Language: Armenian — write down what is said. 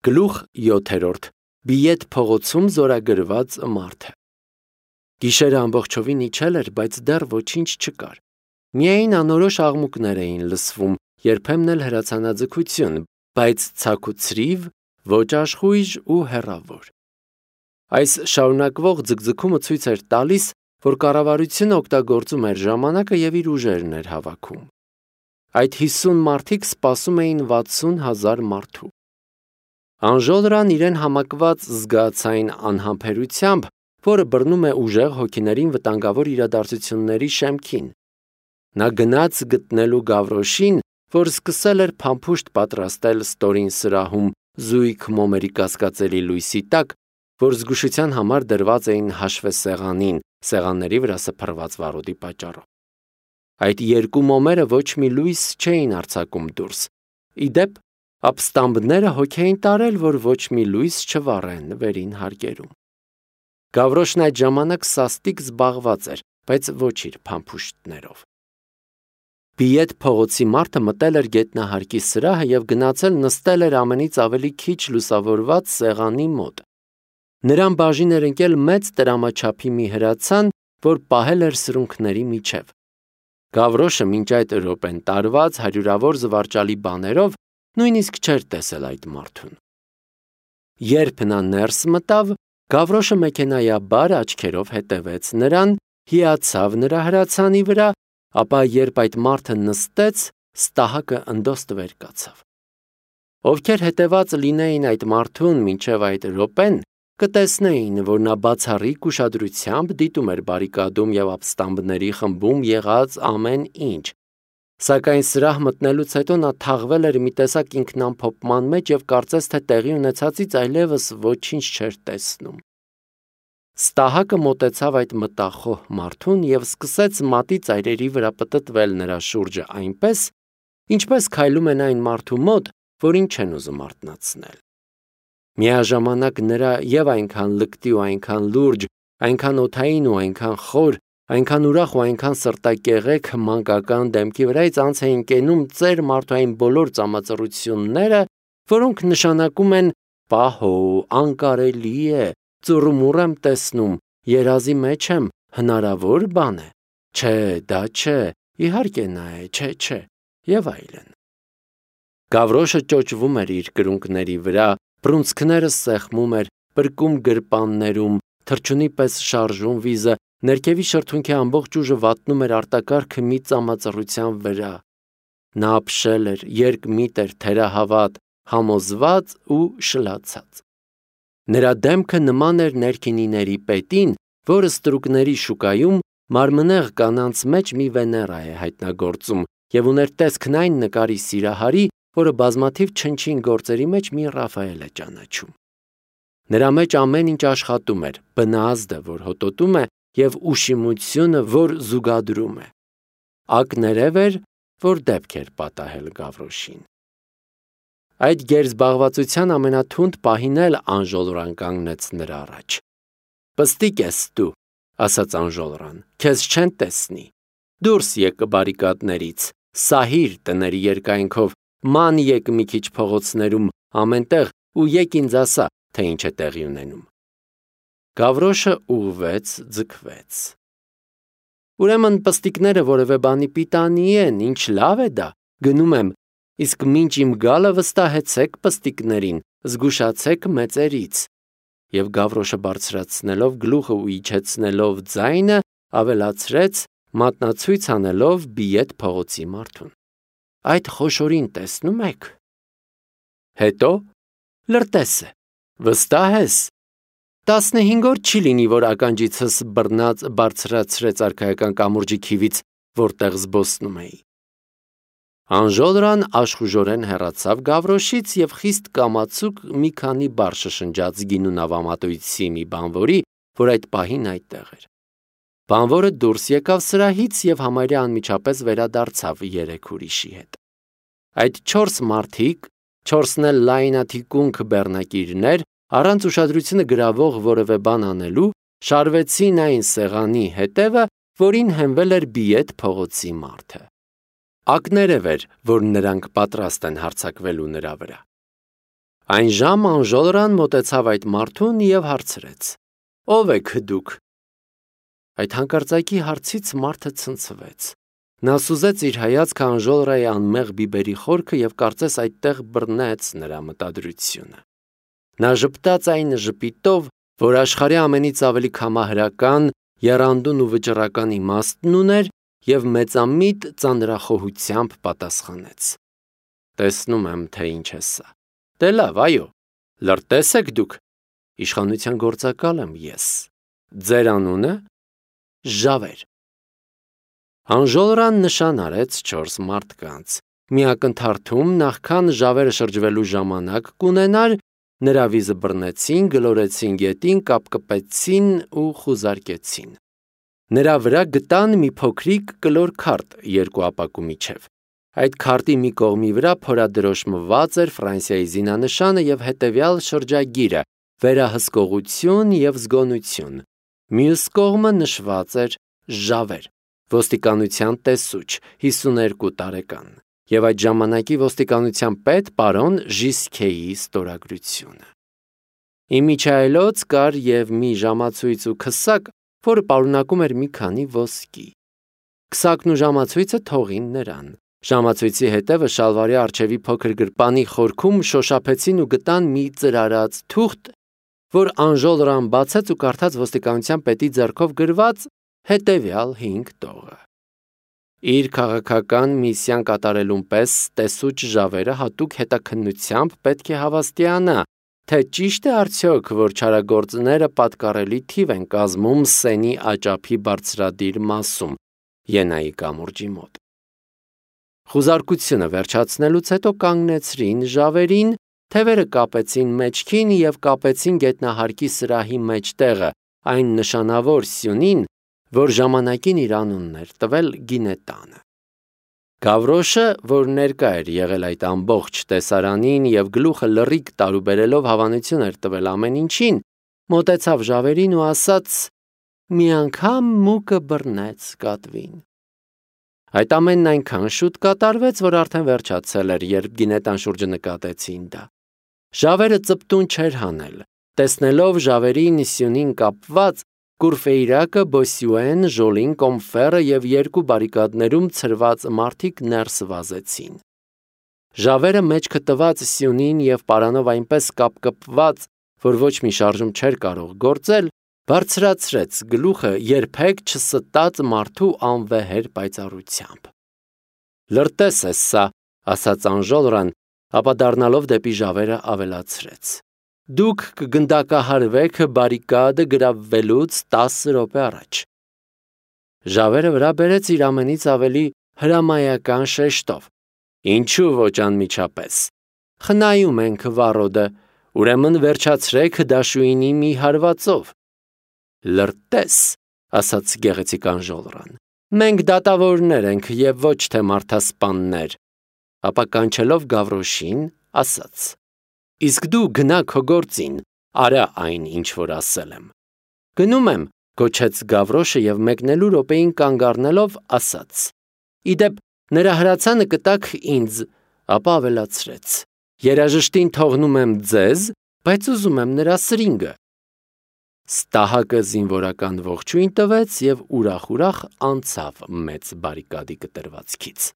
Գլուխ 7. Բիեթ փողոցում զորագրված մարդը։ Գիշերը ամբողջովին իջել էր, բայց դեռ ոչինչ չկար։ Միայն անորոշ աղմուկներ էին լսվում, երբեմն էլ հրացանաձգություն, բայց ցաքուցրիվ, ոչ աշխույժ ու հեռավոր։ Այս շարունակվող ձգձգումը ցույց էր տալիս, որ կառավարությունը օգտագործում էր ժամանակը եւ իր ուժերն էր հավաքում։ Այդ 50 մարդիկ սպասում էին 60,000 մարդու։ Անժոլրան իրեն համակված զգացային անհամբերությամբ, որը բռնում է ուժեղ հոգիներին վտանգավոր իրադարձությունների շեմքին։ Նա գնաց գտնելու Գավրոշին, որ սկսել էր փամփուշտ պատրաստել ստորին սրահում զույգ մոմերի կասկածելի լույսի տակ, որ զգուշության համար դրված էին հաշվեսեղանին, սեղանների վրա սփռված վարոդի պատճառով։ Այդ երկու մոմերը ոչ մի լույս չէին արձակում դուրս։ Իդեպ, ապստամբները հոգ էին տարել, որ ոչ մի լույս չվառեն վերին հարկերում։ Գավրոշն այդ ժամանակ սաստիկ զբաղված էր, բայց ոչ իր փամփուշտներով։ Բիեթ փողոցի մարդը մտել էր գետնահարկի սրահը եւ գնացել նստել էր ամենից ավելի քիչ լուսավորված սեղանի մոտ։ Նրան բաժին էր ընկել մեծ տրամաչափի մի հրացան, որ պահել էր սրունքների միջև։ Գավրոշը մինչ այդ րոպեն տարված հարյուրավոր զվարճալի բաներով նույնիսկ չէր տեսել այդ մարդուն։ Երբ նա ներս մտավ, Գավրոշը մեքենայաբար աչքերով հետևեց նրան, հիացավ նրա հրացանի վրա, ապա երբ այդ մարդը նստեց, ստահակը ընդոստվեր կացավ։ Ովքեր հետևած լինեին այդ մարդուն մինչև այդ րոպեն, կտեսնեին, որ նա բացառիկ ուշադրությամբ դիտում էր բարիկադում եւ ապստամբների խմբում եղած ամեն ինչ։ Սակայն սրահ մտնելուց հետո նա թաղվել էր մի տեսակ ինքնամփոփման մեջ եւ կարծես թե տեղի ունեցածից այլևս ոչինչ չէր տեսնում։ Ստահակը մոտեցավ այդ մտախոհ մարդուն եւ սկսեց մատի ծայրերի վրա պտտվել նրա շուրջը այնպես, ինչպես քայլում են այն մարդու մոտ, որին չեն ուզում արթնացնել։ Միաժամանակ նրա եւ այնքան լկտի ու այնքան լուրջ, այնքան օդային ու այնքան խոր, այնքան ուրախ ու այնքան սրտակեղեք մանկական դեմքի վրայից անց էին կենում ծեր մարդու այն բոլոր ծամածռությունները, որոնք նշանակում են «պահո, անկարելի է, ծուռումուռ եմ տեսնում, երազի մեջ եմ, հնարավոր բան է, չէ, դա չէ, իհարկե նա է, չէ» եւ այլն։ Գավրոշը ճոճվում էր իր կրունկների վրա, բռունցքները սեղմում էր, բրկում գրպաններում, թռչունի պես շարժում վիզը, ներքևի շրթունքի ամբողջ ուժը վատնում էր արտակարգը մի ծամածռության վրա։ Նա ապշել էր, երկմիտ էր, թերահավատ, համոզված ու շլացած։ Նրա դեմքը նման էր ներքինիների պետին, որը ստրուկների շուկայում մարմնեղ կանանց մեջ մի Վեներա է հայտնագործում եւ ուներ տեսքն այն նկարի սիրահարի, որը բազմաթիվ չնչին գործերի մեջ մի Ռաֆայել է ճանաչում։ Նրա մեջ ամեն ինչ աշխատում էր, բնազդը, որ հոտոտում է, եւ ուշիմությունը, որ զուգադրում է։ Ակներև էր, որ դեպք էր պատահել Գավրոշին։ Այդ գերզբաղվածության ամենաթունդ պահին էլ Անժոլրան կանգնեց նրա առաջ։ «Պստիկ ես դու», ասաց Անժոլրան, «քեզ չեն տեսնի։ Դուրս եկ բարիկադներից, սահիր տների երկայնքով, ման եկ մի քիչ փողոցներում, ամենտեղ ու եկ ինձ ասա, թե ինչ է տեղի ունենում»։ Գավրոշը ուղղվեց, ձգվեց։ «Ուրեմն պստիկները որևէ բանի պիտանի են, ինչ լավ է դա, գնում եմ, իսկ մինչ իմ գալը վստահեցեք պստիկներին, զգուշացեք մեծերից»։ Եվ Գավրոշը բարձրացնելով գլուխը ու իջեցնելով ձայնը, ավելացրեց, մատնացույց անելով Բիեթ փողոցի մարդուն. «Այդ խոշորին տեսնում եք»։ Հետո լրտես է, վստահ ես։ 15 օր չի լինի, որ ականջիցս բռնած բարձրացրեց արքայական կամուրջի քիվից, որտեղ զբոսնում էի։ Անժոլրան աշխուժորեն հեռացավ Գավրոշից եւ խիստ կամացուկ մի քանի բառ շշնջաց գինու նավամատույցի մի բանվորի, որ այդ պահին այդտեղ էր։ Բանվորը դուրս եկավ սրահից եւ համարյա անմիջապես վերադարձավ 3 ուրիշի հետ։ Այդ 4 մարդիկ, 4-ն էլ լայնաթիկունք բեռնակիրներ, առանց ուշադրությունը գրավող որևէ բան անելու, շարվեցին այն սեղանի հետևը, որին հենվել էր Բիեթ փողոցի մարդը։ Ակներև էր, որ նրանք պատրաստ են հարձակվելու նրա վրա։ Այն ժամ անժոլրան մոտեցավ այդ մարդուն և հարցրեց. «Ո՞վ եք դուք»։ Այդ հանկարծակի հարցից մարդը ցնցվեց։ Նա սուզեց իր հայացքը անժոլրայի անմեղ բիբերի խորքը և կարծես այդտեղ բռնեց նրա մտադրությունը։ Նա ժպտաց այն ժպիտով, որ աշխարհի ամենից ավելի քամահրական, եռանդուն ու վճռական իմաստն ուներ, և մեծամիտ ծանրախոհությամբ պատասխանեց. «Տեսնում եմ, թե ինչ է սա։ Դե լավ, այո, լրտես եք դուք։ Իշխանության գործակալ եմ ես։ Ձեր անունը»։ «Ժավեր»։ Անժոլրան նշան արեց 4 մարդկանց։ Մի ակնթարթում, նախքան Ժավերը շրջվելու ժամանակ կունենար, նրա վիզը բռնեցին, գլորեցին գետին, կապկպեցին ու խուզարկեցին։ Նրա վրա գտան մի փոքրիկ կլոր քարտ 2 ապակու միջև։ Այդ քարտի մի կողմի վրա փորադրոշմված էր Ֆրանսիայի զինանշանը և հետևյալ շրջագիրը՝ վերահսկողություն և զգոնություն։ Մյուս կողմը նշված էր Ժավեր, ոստիկանության տեսուչ, 52 տարեկան, և այդ ժամանակի ոստիկանության պետ պարոն Ժիսքեի ստորագրությունը։ Իմիջիայլոց կար և մի ժամացույց ու քսակ, որը պարունակում էր մի քանի ոսկի։ Քսակն ու ժամացույցը թողին նրան։ Ժամացույցի հետևը շալվարի առջևի փոքր գրպանի խորքում շոշափեցին ու գտան մի ծրարած թուղթ, որ անժոլրան բացեց ու կարդաց ոստիկանության պետի ձեռքով գրված հետևյալ 5 տողը։ Իր քաղաքական միսիան կատարելուն պես տեսուչ Ժավերը հատուկ հետաքննությամբ պետք է հավաստիանա, թե ճիշտ է արդյոք, որ չարագործները պատկառելի թիվ են կազմում Սենի աճափի բարձրադիր մասում, Ենայի կամուրջի մոտ։ Խուզարկությունը վերջացնելուց հետո կանգնեցրին Ժավերին, թևերը կապեցին մեջքին և կապեցին գետնահարկի սրահի մեջտեղը, այն նշանավոր սյունին, որ ժամանակին իր անունն էր տվել Գինետանը։ Գավրոշը, որ ներկա էր եղել այդ ամբողջ տեսարանին և գլուխը լռիկ տարուբերելով հավանություն էր տվել ամեն ինչին, մոտեցավ Ժավերին ու ասաց. «Մի անգամ մուկը բռնեց կատվին»։ Այդ ամենն այնքան շուտ կատարվեց, որ արդեն վերջացել էր, երբ Գինետան շուրջը նկատեցին դա։ Ժավերը ծպտուն չէր հանել։ Տեսնելով Ժավերին սյունին կապված, Կուրֆեյրակը, Բոսյուեն, Ժոլին, Կոմֆերը և 2 բարիկադներում ցրված մարդիկ ներս վազեցին։ Ժավերը մեջքը տված սյունին և պարանով այնպես կապկպված, որ ոչ մի շարժում չէր կարող գործել, բարձրացրեց գլուխը երբեք չստած մարդու անվեհեր պայծառությամբ։ «Լրտես է սա», ասաց անժոլրան, ապա դառնալով դեպի Ժավերը ավելացրեց. «Դուք կգնդակահարվեք բարիկադը գրավվելուց 10 րոպե առաջ»։ Ժավերը վրա բերեց իր ամենից ավելի հրամայական շեշտով. «Ինչու ոչ անմիջապես։ Խնայում ենք վառոդը, ուրեմն վերջացրեք դաշույնի մի հարվածով»։ «Լրտես», ասաց գեղեցիկ անժոլրան, «մենք դատավորներ ենք և ոչ թե մարդասպաններ»։ Ապա կանչելով Գավրոշին, ասաց. «Իսկ դու գնա քո գործին, արա այն, ինչ որ ասել եմ»։ «Գնում եմ», գոչեց Գավրոշը և մեկնելու րոպեին կանգ առնելով ասաց. «Ի դեպ, նրա հրացանը կտաք ինձ», ապա ավելացրեց. «Երաժշտին թողնում եմ ձեզ, բայց ուզում եմ նրա սրինգը»։ Ստահակը զինվորական ողջույն տվեց և ուրախ-ուրախ անցավ մեծ բարիկադի կտրվածքից։